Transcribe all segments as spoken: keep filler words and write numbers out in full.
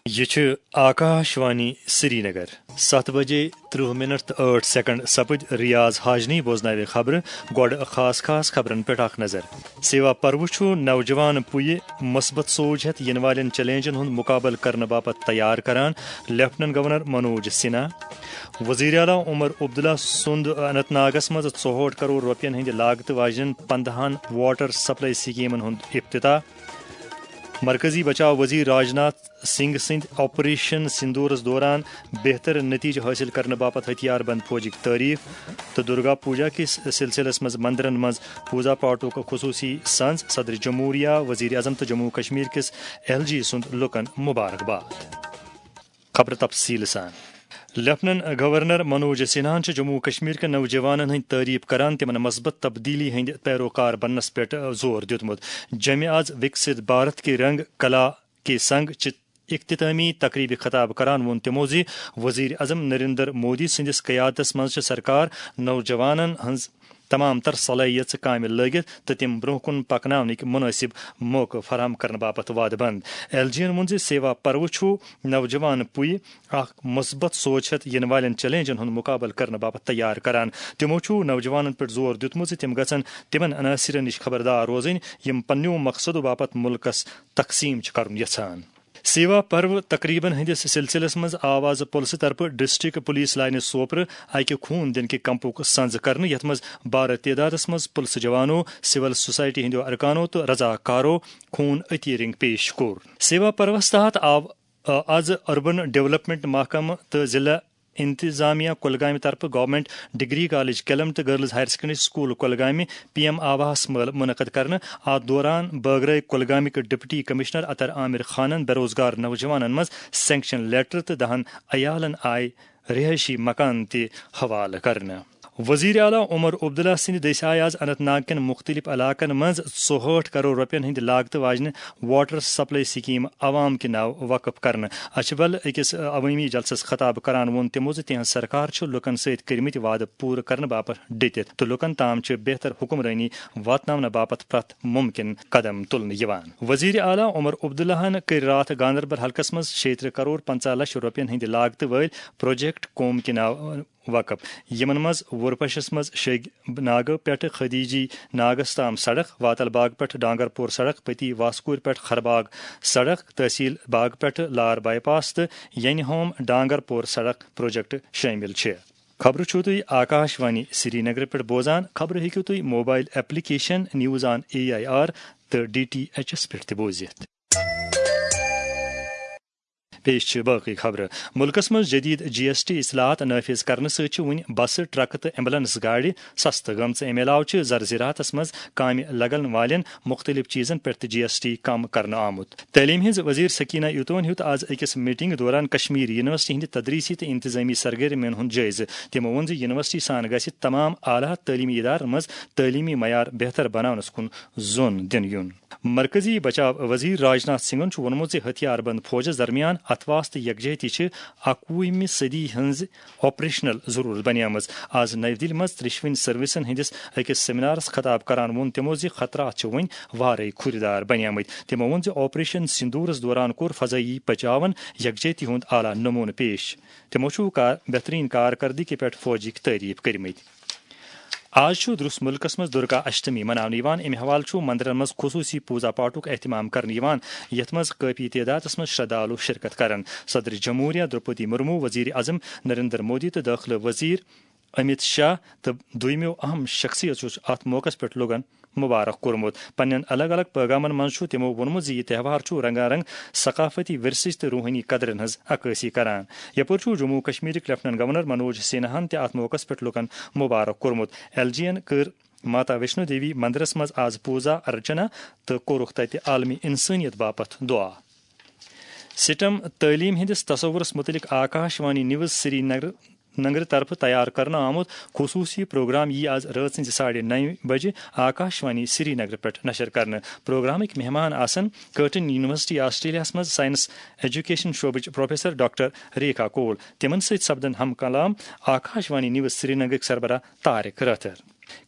یہِ چھِ آکاش وانی سرینگر۔ ستھ بجے ترٕہ منٹ تہٕ ٲٹھ سیکنڈ سپٕدۍ۔ ریاض حاجنی بوزناوِ خبرٕ۔ گۄڈٕ خاص خاص خبرن پٮ۪ٹھ اکھ نظر۔ سیوا پرو چھُ نوجوان پُیہِ مثبت سوچ ہٮ۪تھ یِنہٕ والٮ۪ن چیلنجن ہُنٛد مُقابلہٕ کرنہٕ باپتھ تیار کران، لیفٹننٹ گورنر منوج سنہا۔ وزیر اعلیٰ عمر عبداللہ سُنٛد اننت ناگس منٛز ژُہٲٹھ کرور رۄپین ہٕنٛدِ لاگتہٕ واجٮ۪ن پندہن واٹر سپلائی سکیمن ہُنٛد افتتاح۔ مرکزی بچاو وزیر راجناتھ سنگھ سٕنٛدۍ آپریشن سندورس دوران بہتر نتیجہٕ حٲصِل کرنہٕ باپتھ ہتھیار بند فوجٕکۍ تعریف۔ تہٕ درگا پوجا کِس سلسلس منٛز مندرن منٛز پوزا پاٹھُک خصوصی سنز۔ صدر جمہوریہ، وزیر اعظم تہٕ جموں کشمیر کِس ایل جی سُنٛد لُکن مبارکباد۔ خبرٕ تفصیٖل سان۔ لیفٹننٹ گورنر منوج سنہاہن چھُ جموں و کشمیر کٮ۪ن نوجوانن ہٕنٛدۍ تعریف کران، تِمن مثبت تبدیلی ہٕنٛدۍ پیروکار بننس پٮ۪ٹھ زور دیُتمُت۔ جمعہ از وکسِت بھارت کے رنگ کلا کے سنگ چہِ اختتامی تقریبہِ خطاب کران ووٚن تِمو زِ وزیر اعظم نریندر مودی سٕنٛدِس قیادتس منٛز چھِ سرکار نوجوانن ہٕنٛز تمام تر صلٲحیژٕ کامہِ لٲگِتھ تہٕ تِم برونٛہہ کُن پکناونٕکۍ مُنٲسِب موقعہٕ فراہم کرنہٕ باپتھ وعدٕ بنٛد۔ ایل جی ین ووٚن زِ سیوا پرو چھُ نوجوان پُیہِ اکھ مثبت سوچ ہٮ۪تھ یِنہٕ والٮ۪ن چیلنجن ہُنٛد مُقابلہٕ کرنہٕ باپتھ تیار کران۔ تِمو چھُ نوجوانن پٮ۪ٹھ زور دیُتمُت زِ تِم گژھن تِمن عناصرن نِش خبردار روزٕنۍ، یِم پننیو مقصدو باپتھ مُلکس تقسیٖم چھِ کرُن یژھان۔ سیوا پرو تقریبن ہٕنٛدِس سلسلس منٛز آو از پُلسہٕ طرفہٕ ڈسٹرکٹ پولیس لائنہِ سوپرٕ اکہِ خوٗن دِنہٕ کہِ کیمپُک سنز کرنہٕ، یتھ منٛز بارٕ تعدادس منٛز پُلسہٕ جوانو، سول سوسائٹی ہٕنٛدیو ارکانو تہٕ رضاکارو خوٗن عطیہ رنگ پیش کوٚر۔ سیوا پروس تحت آو، آ، از اربن ڈیولپمنٹ محکمہٕ تہٕ ضلع انتظامیہ کۄلگامہِ طرفہٕ گورنمنٹ ڈگری کالج کیلم تہٕ گرلز ہائر سیکنڈری سکول کۄلگامہِ پی ایم آواس مٲلہٕ منعقد کرنہٕ۔ اتھ دوران بٲگرٲے کۄلگامٕکۍ ڈپٹی کمشنر عطر عامر خانن بے روزگار نوجوانن منٛز سینکشن لیٹر تہٕ دہن عیالن آیہِ رہٲیشی مکان تہِ حوالہٕ کرنہٕ۔ وزیر اعلیٰ عمر عبداللہ سٕنٛدِ دٔسۍ آیہِ آز اننت ناگ کٮ۪ن مُختٔلِف علاقن منٛز ژُہٲٹھ کرور رۄپین ہٕنٛدِ لاگتہٕ واجنہِ واٹر سپلائی سکیٖم عوام کہِ ناوٕ وقف کرنہٕ۔ اچھبل أکِس عوٲمی جلسس خطاب کران ووٚن تِمو زِ تِہنٛز سرکار چھِ لوٗکن سۭتۍ کٔرمٕتۍ وعدٕ پوٗرٕ کرنہٕ باپتھ ڈٔٹِتھ تہٕ لوٗکن تام چھِ بہتر حکمرٲنی واتناونہٕ باپتھ پرٛٮ۪تھ مُمکِن قدم تُلنہٕ یِوان۔ وزیر اعلیٰ عمر عبداللہن کٔرۍ راتھ گاندربل حلقس منٛز شیٚیہِ ترٕہ کرور پنٛژاہ لچھ رۄپین ہٕنٛدِ لاگتہٕ وٲلۍ پروجیکٹ قوم کہِ ناوٕ وقف، یِمن منٛز وُرپشس منٛز شیگ ناگہٕ پٮ۪ٹھٕ خدیجی ناگس تام سڑک، واتل باغ پٮ۪ٹھٕ ڈانگر پور سڑک، پتی واسکور پٮ۪ٹھٕ خرباغ سڑک، تحصیل باغ پٮ۪ٹھٕ لار بائی پاس تہٕ ینہِ ہوم ڈانگر پور سڑک پروجیکٹ شٲمِل چھِ۔ خبرٕ چھِو تُہۍ آکاش وانی سری نگر پٮ۪ٹھ بوزان۔ خبرٕ ہیٚکِو تُہۍ mobile application news on A I R تہٕ ڈی ٹی ایچ ایس پٮ۪ٹھ تہِ بوٗزِتھ۔ پیش چھِ باقٕے خبرٕ۔ مُلکَس منٛز جدید جی ایس ٹی اصلاحات نافذ کرنہٕ سۭتۍ چھِ وۄنۍ بسہٕ، ٹرکہٕ تہٕ ایمبولینس گاڑِ سستہٕ گٔمژٕ۔ اَمہِ علاوٕ چھِ زرزراعتس منٛز کامہِ لگن والٮ۪ن مُختٔلِف چیٖزن پٮ۪ٹھ تہِ جی ایس ٹی کم کرنہٕ آمُت۔ تعلیٖم ہٕنٛز وزیر سکینہ ایتون ہیوٚت آز أکِس میٹنگ دوران کشمیر یونیورسٹی ہٕنٛدِ تدریسی تہٕ انتظامی سرگرمین ہُنٛد جٲیزٕ۔ تِمو ووٚن زِ یونیورسٹی سان گژھِ تمام اعلیٰ تعلیمی ادارن منٛز تعلیمی معیار بہتر بناونس کُن زون دِنہٕ یُن۔ مرکزی بچاو وزیر راجناتھ سنگھن چھُ ووٚنمُت زِ ہتھیار بند فوجس درمیان اتھواس تہٕ یکجہتی چھِ اکوُہمہِ صدی ہٕنٛز آپریشنل ضرورت بنیمٕژ۔ آز نَوِ دِلہِ منٛز ترٛیٚشوٕنی سروسن ہٕنٛدِس أکِس سیمینارس خطاب کران ووٚن تِمو زِ خطرات چھِ وۄنۍ وارے کھُرۍ دار بنیمٕتۍ۔ تِمو ووٚن زِ آپریشن سندورس دوران کوٚر فضائی بچاون یکجہتی ہُنٛد اعلیٰ نمونہٕ پیش۔ تِمو چھُ کار-، بہترین کارکردگی پٮ۪ٹھ فوجٕکۍ تعریف کٔرمٕتۍ۔ آز چھُ درس مُلکس منٛز درگا اشٹمی مناونہٕ یِوان۔ اَمہِ حوالہٕ چھُ مندرن منٛز خصوٗصی پوزا پاٹھُک اہتمام کرنہٕ یِوان، یَتھ منٛز کٲفی تعدادس منٛز شردھالو شرکت کرن۔ صدر جمہوریہ درپدی مرمو، وزیر اعظم نریندر مودی تہٕ دٲخلہٕ وزیر امت شاہ تہٕ دوٚیمو اہم شخصیژو چھُ اتھ موقعس پٮ۪ٹھ لوٗکن مبارک کوٚرمُت۔ پننٮ۪ن الگ الگ پیغامن منٛز چھُ تِمو ووٚنمُت زِ یہِ تہوار چھُ رنگا رنگ ثقافتی ورثٕچ تہٕ روحٲنی قدرن ہٕنٛز عکٲسی کران۔ یپٲرۍ چھُ جموں و کشمیرٕکۍ لیفٹننٹ گورنر منوج سنہاہن تہِ اتھ موقعس پٮ۪ٹھ لوٗکن مبارک کوٚرمُت۔ ایل جی ین کٔر ماتا ویشنو دیوی مندرس منٛز آز پوزا ارچنا تہٕ کوٚرُکھ تتہِ عالمی انسٲنیت باپتھ دعا۔ سٹم تعلیٖم ہٕنٛدِس تصورس مُتعلق آکاش وانی نیوز سری نگر، نگرٕ طرفہٕ تیار کرنہٕ آمُت خصوٗصی پروگرام یِیہِ آز رٲژ ہٕنٛزِ ساڑِ نَیہِ بجہِ آکاش وانی سری نگر پٮ۪ٹھ نشر کرنہٕ۔ پروگرامٕکۍ مہمان آسن کرٹن یونیورسٹی آسٹریلیاہس منٛز سائنس ایجوکیشن شعبٕچ پروفیسر ڈاکٹر ریکھا کول۔ تِمن سۭتۍ سپدن ہم کلام آکاش وانی نیوز سری نگرٕکۍ سربراہ طارق رٲتھر۔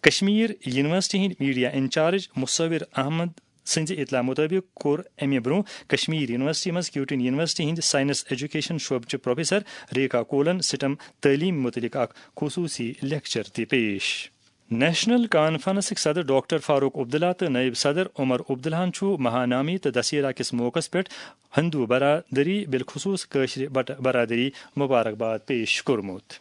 کشمیر یونیورسٹی ہٕنٛدۍ میڈیا انچارج مصور احمد سٕنٛزِ اطلاع مُطٲبِق کوٚر اَمہِ برٛونٛہہ کشمیر یونیورسٹی منٛز کیوٹین یونیورسٹی ہٕنٛدِ ساینس ایجوکیشن شعبہٕ چہِ پروفیسر ریکھا کولن سٹم تعلیٖم مُتعلق اکھ خصوٗصی لیکچر تہِ پیش۔ نیشنل کانفرنسٕکۍ صدر ڈاکٹر فاروق عبداللہ تہٕ نائب صدر عمر عبداللہَن چھُ مہانامی تہٕ دسیرا کِس موقعس پٮ۪ٹھ ہندو برادری، بالخصوص کٲشرِ بٹہٕ برادری، مبارکباد پیش کوٚرمُت۔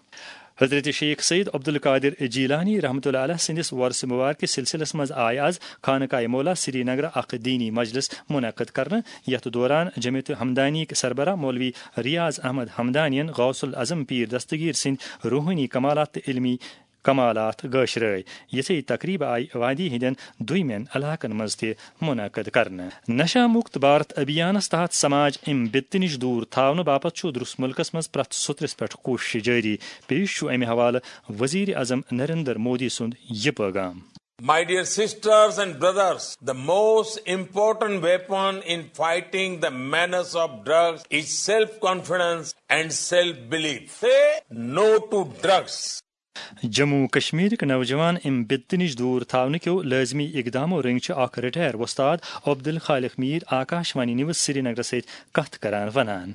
حضرت شیخ سید عبدالقادر جیلانی رحمتہ اللہ علیہ سٕنٛدِس وۄرثہٕ مبارکِس سلسلس منٛز آیہِ از خانقاہ مولا سری نگرٕ اکھ دینی مجلس منعقد کرنہٕ، یتھ دوران جمعیت ہمدانی سربراہ مولوی ریاض احمد ہمدانین غوث العظم پیر دستگیر سٕنٛدۍ روحٲنی کمالات تہٕ علمی کمالات گٲشرٲے۔ یِژھے تقریبہٕ آیہِ وادی ہٕنٛدٮ۪ن دویمٮ۪ن علاقن منٛز تہِ منعقد کرنہٕ۔ نشہ مکت بھارت ابھیانس تحت سماج امہِ بِتہٕ نِش دوٗر تھاونہٕ باپتھ چھُ درس مُلکس منٛز پرٛٮ۪تھ سوٚترس پٮ۪ٹھ کوٗشش جٲری۔ پیش چھُ امہِ حوالہٕ وزیر اعظم نریندر مودی سُنٛد یہِ پٲغام۔ My dear sisters and brothers, the most important weapon in fighting the menace of drugs is self-confidence and self-belief. Say no to drugs. Jammu و کشمیرٕکۍ نوجوان امہِ بِدتہٕ نِش دوٗر تھاونہٕ کیو لٲزمی اقدامو رٔنگۍ چھِ اکھ رٹائر وۄستاد عبدالخالق میر آکاش وانی نیوز سری نگرس سۭتۍ کتھ کران ونان۔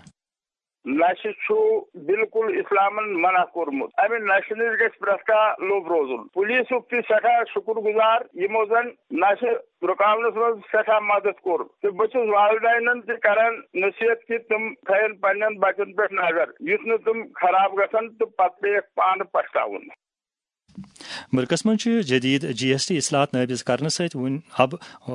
نشہٕ چھُ بالکل اسلامن منع کوٚرمُت۔ امہِ نشہٕ نِش گژھِ پرٛٮ۪تھ کانٛہہ لوٚب روزُن۔ پولیسُک تہِ سٮ۪ٹھاہ شُکر گُزار، یِمو زن نشہٕ رُکاونس منٛز سٮ۪ٹھاہ مدد کوٚر۔ تہٕ بہٕ چھُس والدینن تہِ کران نصیحت کہِ تِم تھاون پننٮ۪ن بچن پٮ۪ٹھ نظر، یُتھ نہٕ تِم خراب گژھن تہٕ پتہٕ پیٚیَکھ پانہٕ پچھتاوُن۔ مُلکَس منٛز چھِ جدید جی ایس ٹی اصلاحات نافذ کرنہٕ سۭتۍ وۄنۍ اب، آ،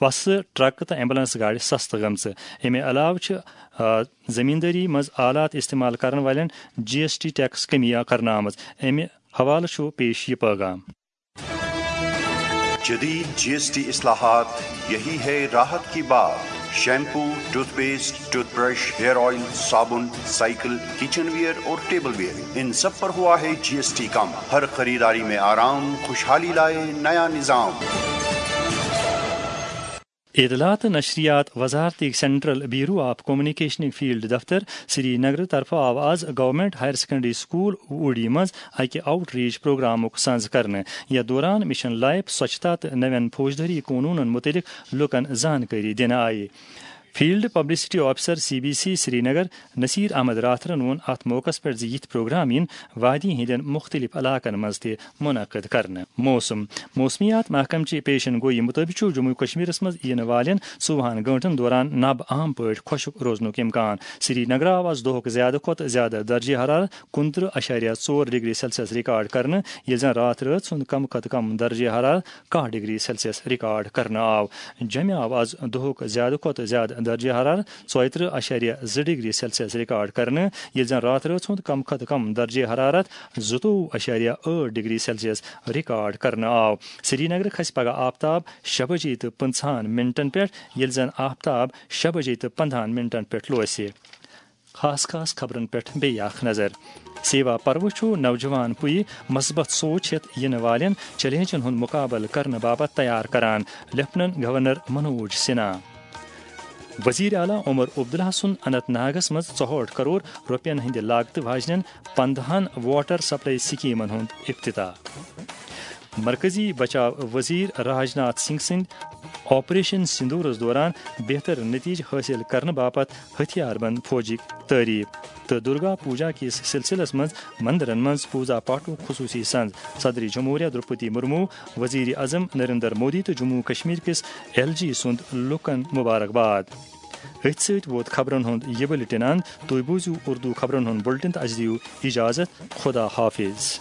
بسہٕ، ٹرکہٕ تہٕ ایمبولینس گاڑِ سستہٕ گٔمژٕ۔ اَمہِ علاوٕ چھِ، آ، زمیٖندٲری منٛز آلات استعمال کرن والٮ۪ن جی ایس ٹی ٹیکس کمی کرنہٕ آمٕژ۔ اَمہِ حوالہٕ چھُ پیش یہِ پٲغام۔ جدید جی ایس ٹی اصلاحات، یہی ہے راحت کی بات۔ Shampoo, toothpaste, toothbrush, hair oil, صابن، سائیکل، کچن ویئر اور ٹیبل ویئر، ان سب پر ہوا ہے جی ایس ٹی کم۔ ہر خریداری میں آرام، خوشحالی لائے نیا نظام۔ اطلاعات تہٕ نشریات وزارتٕکۍ سینٹرل بیورو آف کمیونیکیشنٕکۍ فیلڈ دفتر سری نگر طرفہٕ آو از government higher secondary school Uri منٛز اکہِ آؤٹ ریچ پروگرامُک سنز کرنہٕ۔ یتھ دوران مشن لائف، سوچھتا تہٕ نوین فوجدٲری قونوٗنن مُتعلق لوٗکن زانکٲری دِنہٕ آیہِ۔ Field publicity officer C B C Srinagar Nasir Ahmad راتھرن ووٚن اتھ موقعس پٮ۪ٹھ زِ یِتھۍ پروگرام یِن وادی ہٕنٛدٮ۪ن مُختٔلِف علاقن منٛز تہِ منعقد کرنہٕ۔ موسم۔ موسمیات محکمہٕ چہِ پیشن گویی مُطٲبِق چھُ جموں و کشمیرس منٛز یِنہٕ والٮ۪ن ژوٚوُہن گٲنٛٹن دوران نبہٕ عام پٲٹھۍ خۄشک روزنُک امکان۔ سری نگر آو از دۄہُک زیادٕ کھۄتہٕ زیادٕ درجہ حرارت کُنترٕہ اَشاریہ ژور ڈگری سیلسیس ریکارڈ کرنہٕ، ییٚلہِ زن راتھ رٲژ ہُنٛد کم کھۄتہٕ کم درجہ حرارت کاہ ڈگری سیلسیس ریکارڈ کرنہٕ آو۔ جوٚمہِ آو از دۄہُک زیادٕ کھۄتہٕ زیادٕ درجہ حرارت ژۄیترٕہ اَشاریہ زٕ ڈگری سیلسیس ریکارڈ کرنہٕ، ییٚلہِ زن راتھ رٲژ ہُنٛد کم کھۄتہٕ کم درجہ حرارت زٕتووُہ اَشاریہ ٲٹھ ڈگری سیلسیس ریکارڈ کرنہٕ آو۔ سری نگر کھسہِ پگہہ آفتاب شےٚ بجے تہٕ پٕنٛژٕہن منٹن پٮ۪ٹھ، ییٚلہِ زن آفتاب شےٚ بجے تہٕ پنٛداہن منٹن پٮ۪ٹھ لوسہِ۔ خاص خاص خبرن پٮ۪ٹھ بیٚیہِ اکھ نظر۔ سیوا پرو چھُ نوجوان پُیہِ مثبت سوچ ہٮ۪تھ یِنہٕ والٮ۪ن چیلنجن ہُنٛد مُقابلہٕ کرنہٕ باپتھ تیار کران، لیفٹیننٹ گورنر منوج سنہا۔ وزیر اعلیٰ عمر عبداللہ سُنٛد اننت ناگس منٛز ژُہٲٹھ کرور رۄپین ہٕنٛدِ لاگتہٕ واجنٮ۪ن پندہن واٹر سپلائی سکیمن ہُنٛد افتتاح۔ مرکزی بچاو وزیر راج ناتھ سنگھ سٕنٛدۍ آپریشن سندورس دوران بہتر نتیجہٕ حٲصِل کرنہٕ باپتھ ہتھیار بند فوجٕکۍ تعریف۔ تہٕ درگا پوجا کِس سلسلس منٛز مندرن منٛز پوجا پاٹھُک خصوٗصی سنز۔ صدر جمہوریہ درپدی مرمو، وزیر اعظم نریندر مودی تہٕ جموں کشمیر کِس ایل جی سُنٛد لوٗکن مبارکباد۔ أتھۍ سۭتۍ ووت خبرن ہُنٛد یہِ بُلٹن اند۔ تُہۍ بوٗزِو اردو خبرن ہُنٛد بُلٹن تہٕ اَسہِ دِیِو اجازت۔ خدا حافظ۔